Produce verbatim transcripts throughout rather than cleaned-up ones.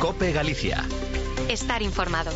COPE Galicia. Estar informado.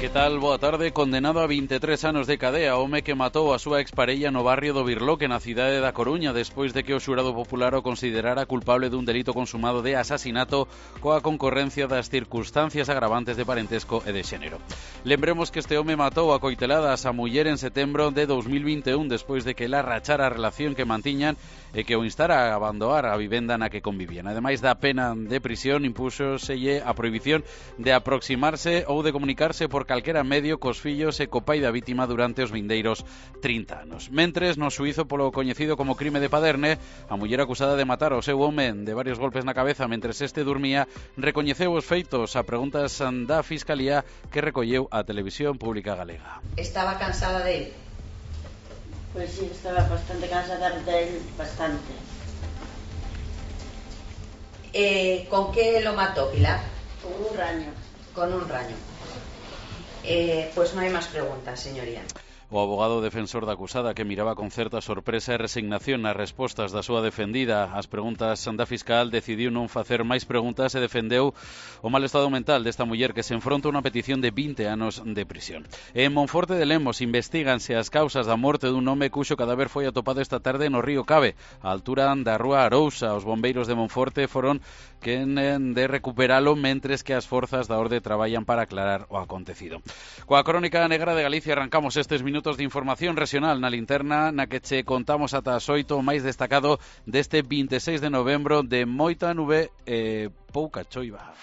Que tal? Boa tarde. Condenado a vinte e tres anos de cadea, home que matou a súa exparella no barrio do Birloque, na cidade da Coruña, despois de que o xurado popular o considerara culpable dun delito consumado de asasinato coa concorrencia das circunstancias agravantes de parentesco e de xénero. Lembremos que este home matou a coiteladas a muller en setembro de dos mil vinte e un, despois de que ela rachara a relación que mantiñan e que o instara a abandonar a vivenda na que convivían. Ademais da pena de prisión, impúxoselle a prohibición de aproximarse ou de comunicarse por calquera medio cos fillos e co pai da vítima durante os vindeiros trinta anos. Mentres, no xuízo polo coñecido como crime de Paderne, a muller acusada de matar ao seu home de varios golpes na cabeza mentres este dormía, recoñeceu os feitos a preguntas da Fiscalía que recolleu a Televisión Pública Galega. Estaba cansada de él? Pues sí, estaba bastante cansada de él, bastante. Eh, ¿Con qué lo mató, Pilar? Con un raño. Con un raño. Eh, pues no hay más preguntas, señoría. O abogado defensor da acusada, que miraba con certa sorpresa e resignación nas respostas da súa defendida ás preguntas da fiscal, decidiu non facer máis preguntas e defendeu o mal estado mental desta muller que se enfronta a unha petición de vinte anos de prisión. En Monforte de Lemos investíganse as causas da morte dun home cuxo cadáver foi atopado esta tarde no río Cabe, á altura da rúa Arousa. Os bombeiros de Monforte foron quen de recuperalo, mentres que as forzas da orde traballan para aclarar o acontecido. Coa crónica negra de Galicia arrancamos estes minutos minutos de información regional na linterna, na que che contamos ata as oito o máis destacado deste vinte e seis de novembro, de moita nube e pouca choiva.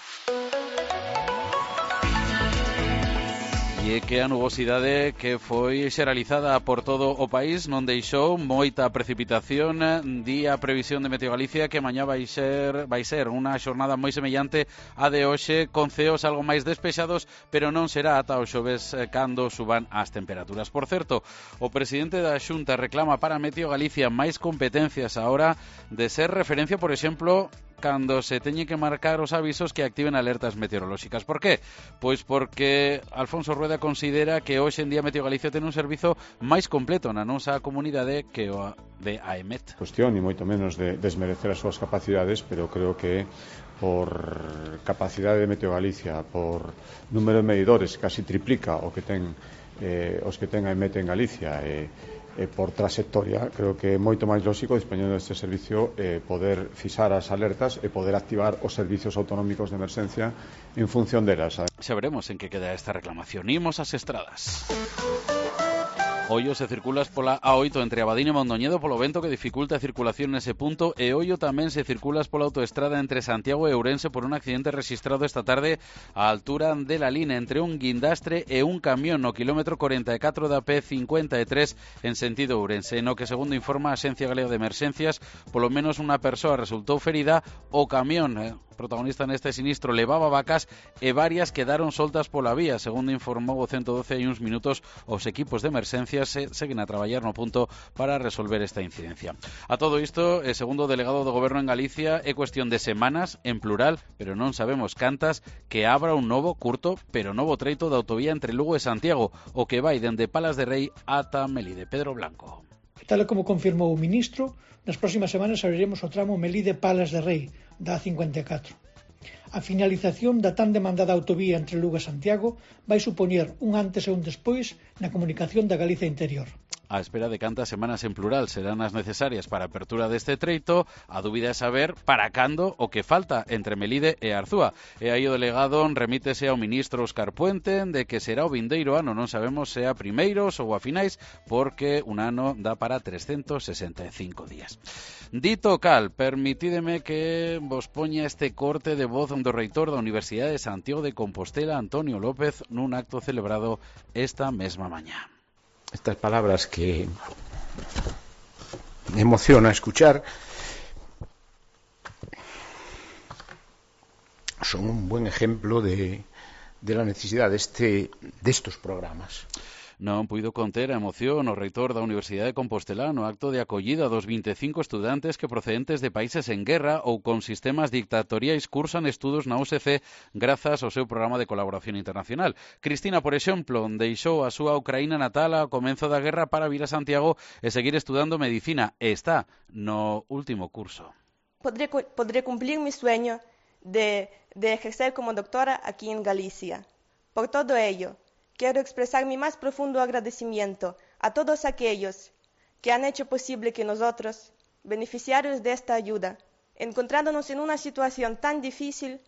E é que a nubosidade que foi xeralizada por todo o país non deixou moita precipitación. Di a previsión de Meteo Galicia que mañá vai ser vai ser unha xornada moi semellante a de hoxe, con ceos algo máis despexados, pero non será ata o xoves cando suban as temperaturas. Por certo, o presidente da Xunta reclama para Meteo Galicia máis competencias a hora de ser referencia, por exemplo, cando se teñe que marcar os avisos que activen alertas meteorolóxicas. Por qué? Pois porque Alfonso Rueda considera que hoxe en día Meteo Galicia ten un servizo máis completo na nosa comunidade que o de A E M E T. Cuestión, e moito menos de desmerecer as súas capacidades, pero creo que por capacidade de Meteo Galicia, por número de medidores, casi triplica o que ten eh, os que ten A E M E T en Galicia, e eh, E por trayectoria, creo que é moito máis lógico, dispoñendo deste servicio, eh, poder fixar as alertas e poder activar os servicios autonómicos de emerxencia en función delas. Xa veremos en que queda esta reclamación. Imos ás estradas. Ollo se circulas pola A oito entre Abadín e Mondoñedo polo vento que dificulta a circulación nese punto, e ollo tamén se circulas pola autoestrada entre Santiago e Ourense por un accidente registrado esta tarde á altura de la Lina entre un guindastre e un camión no quilómetro cuarenta e catro da P cincuenta e tres en sentido Ourense, no que, segundo informa a Axencia Galega de Emerxencias, polo menos unha persoa resultou ferida. O camión eh, protagonista neste sinistro levaba vacas e varias quedaron soltas pola vía. Segundo informou o ciento doce hai uns minutos, os equipos de emerxencias se seguen a traballar no punto para resolver esta incidencia. A todo isto, e segundo o delegado do Goberno en Galicia, é cuestión de semanas, en plural, pero non sabemos cantas, que abra un novo, curto, pero novo treito da autovía entre Lugo e Santiago, o que vai dende Palas de Rei ata Melide. Pedro Blanco. Tal como confirmou o ministro, nas próximas semanas abriremos o tramo Melide-Palas de Rei da A cincuenta e catro. A finalización da tan demandada autovía entre Lugo e Santiago vai supoñer un antes e un despois na comunicación da Galicia interior. A espera de cantas semanas en plural serán as necesarias para a apertura deste treito, a dúbida é saber para cando o que falta entre Melide e Arzúa. E aí o delegado remítese ao ministro Óscar Puente de que será o vindeiro ano, non sabemos se a primeiros ou a finais, porque un ano dá para trescentos sesenta e cinco días. Dito cal, permitídeme que vos poña este corte de voz do reitor da Universidade de Santiago de Compostela, Antonio López, nun acto celebrado esta mesma mañá. Estas palabras que me emociona escuchar son un buen ejemplo de, de la necesidad de, este, de estos programas. Non puido conter a emoción o reitor da Universidade de Compostela no acto de acollida dos vinte e cinco estudantes que procedentes de países en guerra ou con sistemas dictatoriais cursan estudos na U S C grazas ao seu programa de colaboración internacional. Cristina, por exemplo, deixou a súa Ucraína natal ao comezo da guerra para vir a Santiago e seguir estudando medicina, e está no último curso. Podré, podré cumplir mi sueño de, de ejercer como doctora aquí en Galicia. Por todo ello, quiero expresar mi más profundo agradecimiento a todos aquellos que han hecho posible que nosotros, beneficiarios de esta ayuda, encontrándonos en una situación tan difícil,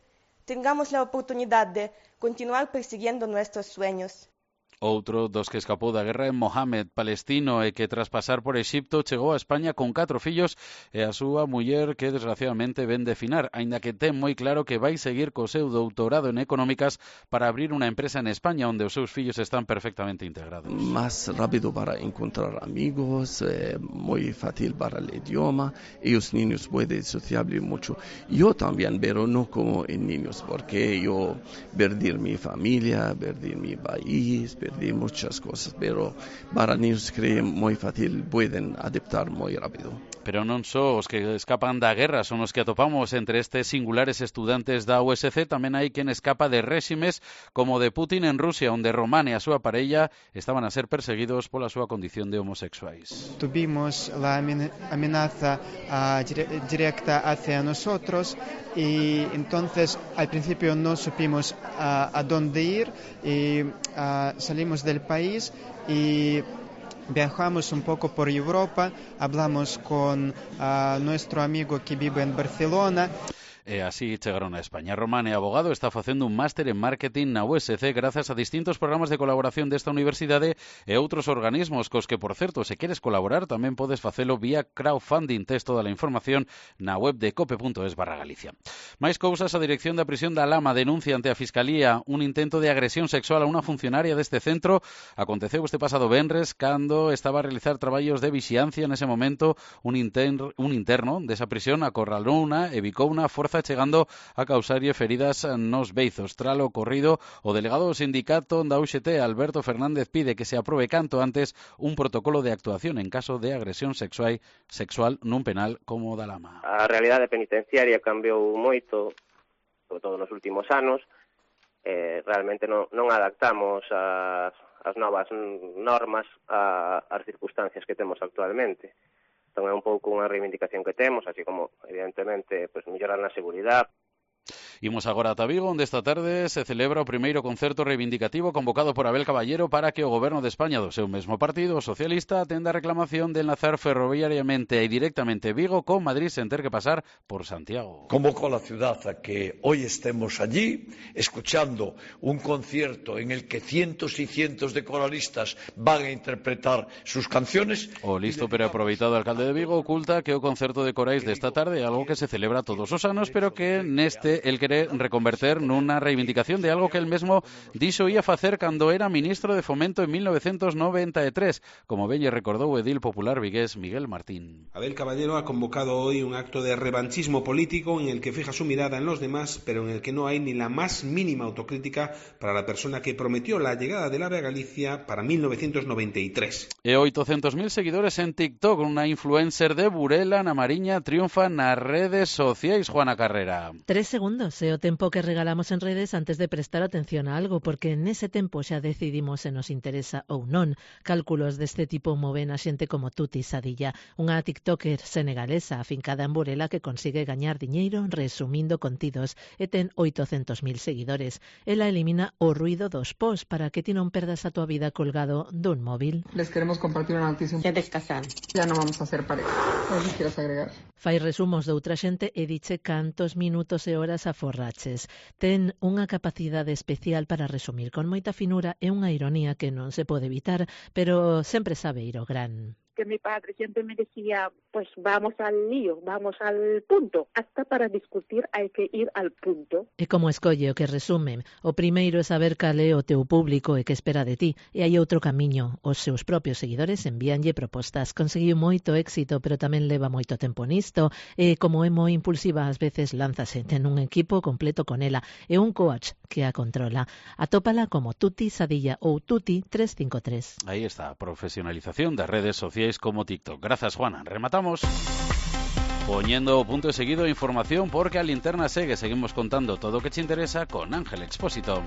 tengamos la oportunidad de continuar persiguiendo nuestros sueños. Outro dos que escapou da guerra é Mohamed, palestino, e que tras pasar por Exipto chegou a España con catro fillos e a súa muller que desgraciadamente ven de finar, aínda que ten moi claro que vai seguir co seu doutorado en económicas para abrir unha empresa en España onde os seus fillos están perfectamente integrados. Más rápido para encontrar amigos, eh, muy fácil para el idioma, y los niños pueden socializar mucho. Yo también, pero no como en niños, porque yo perdí mi familia, perdí mi país, perdí muchas cosas, pero para niños creo muy fácil, pueden adaptar muy rápido. Pero non só os que escapan da guerra son os que atopamos entre estes singulares estudantes da U S C, tamén hai quen escapa de réximes como de Putin en Rusia, onde Román e a súa parella estaban a ser perseguidos pola súa condición de homosexuais. Tuvimos la amenaza uh, directa hacia nosotros y entonces al principio no supimos uh, a dónde ir y uh, salimos del país y viajamos un poco por Europa, hablamos con uh, nuestro amigo que vive en Barcelona. E así chegaron a España. Román é abogado, está facendo un máster en marketing na U S C grazas a distintos programas de colaboración desta universidade e outros organismos cos que, por certo, se queres colaborar tamén podes facelo vía crowdfunding. Tes toda a información na web de cope punto es barra Galicia. Mais cousas, a dirección da prisión da Lama denuncia ante a Fiscalía un intento de agresión sexual a unha funcionaria deste centro. Aconteceu este pasado venres cando estaba a realizar traballos de vixiancia. Nese momento un, inter, un interno desa prisión acorralouna e bicouna forza chegando a causarlle feridas nos beizos. Tras o ocorrido, o delegado do sindicato da U X T, Alberto Fernández, pide que se aprobe canto antes un protocolo de actuación en caso de agresión sexual, sexual nun penal como o da Lama. A realidade penitenciaria cambiou moito, sobre todo nos últimos anos. Eh, realmente non, non adaptamos as, as novas normas a, as circunstancias que temos actualmente. Entón é un pouco unha reivindicación que temos, así como, evidentemente, pues, mellorar na seguridade. Imos agora a Vigo, onde esta tarde se celebra o primeiro concerto reivindicativo convocado por Abel Caballero para que o Goberno de España do seu mesmo partido, socialista, atenda a reclamación de enlazar ferroviariamente e directamente Vigo con Madrid sen ter que pasar por Santiago. Convocó a la ciudad a que hoy estemos allí, escuchando un concierto en el que cientos y cientos de coralistas van a interpretar sus canciones. O listo pero aproveitado alcalde de Vigo oculta que o concerto de corais desta tarde é algo que se celebra todos os anos, pero que neste el quere reconverter nunha reivindicación de algo que el mesmo dixo ia facer cando era ministro de Fomento en mil novecientos noventa e tres, como ben lle recordou o edil popular vigués Miguel Martín. Abel Caballero ha convocado hoy un acto de revanchismo político en el que fija su mirada en los demás, pero en el que no hay ni la más mínima autocrítica para la persona que prometió la llegada del AVE a Galicia para mil novecientos noventa y tres. E oitocentos mil seguidores en TikTok, unha influencer de Burela na Mariña triunfa nas redes sociais. Juana Carrera. Tres segundos é o tempo que regalamos en redes antes de prestar atención a algo, porque nese tempo xa decidimos se nos interesa ou non. Cálculos deste tipo moven a xente como Tuti Sadilla, unha tiktoker senegalesa afincada en Burela que consigue gañar diñeiro resumindo contidos e ten oitocentos mil seguidores. Ela elimina o ruido dos posts para que ti non perdas a tua vida colgado dun móvil. Les queremos compartir unha noticia. Ya te casar. Ya non vamos a ser pareja. Non si quieres agregar. Fai resumos de outra xente e diche cantos minutos e horas aforraches. Ten unha capacidade especial para resumir con moita finura e unha ironía que non se pode evitar, pero sempre sabe ir ao gran. Que mi padre siempre me decía, pues vamos al lío, vamos al punto. Hasta para discutir hay que ir al punto. E como escolle o que resume? O primeiro é saber cal é o teu público e que espera de ti. E hai outro camiño. Os seus propios seguidores envíanlle propostas. Conseguiu moito éxito, pero tamén leva moito tempo nisto. E como é moi impulsiva, ás veces lánzase. Ten un equipo completo con ela e un coach que a controla. Atópala como Tuti Sadilla ou Tuti trescentos cincuenta e tres. Aí está, a profesionalización das redes sociais como TikTok. Grazas, Juana. Rematamos poñendo o punto de seguido información porque a linterna segue. Seguimos contando todo o que te interesa con Ángel Expósito.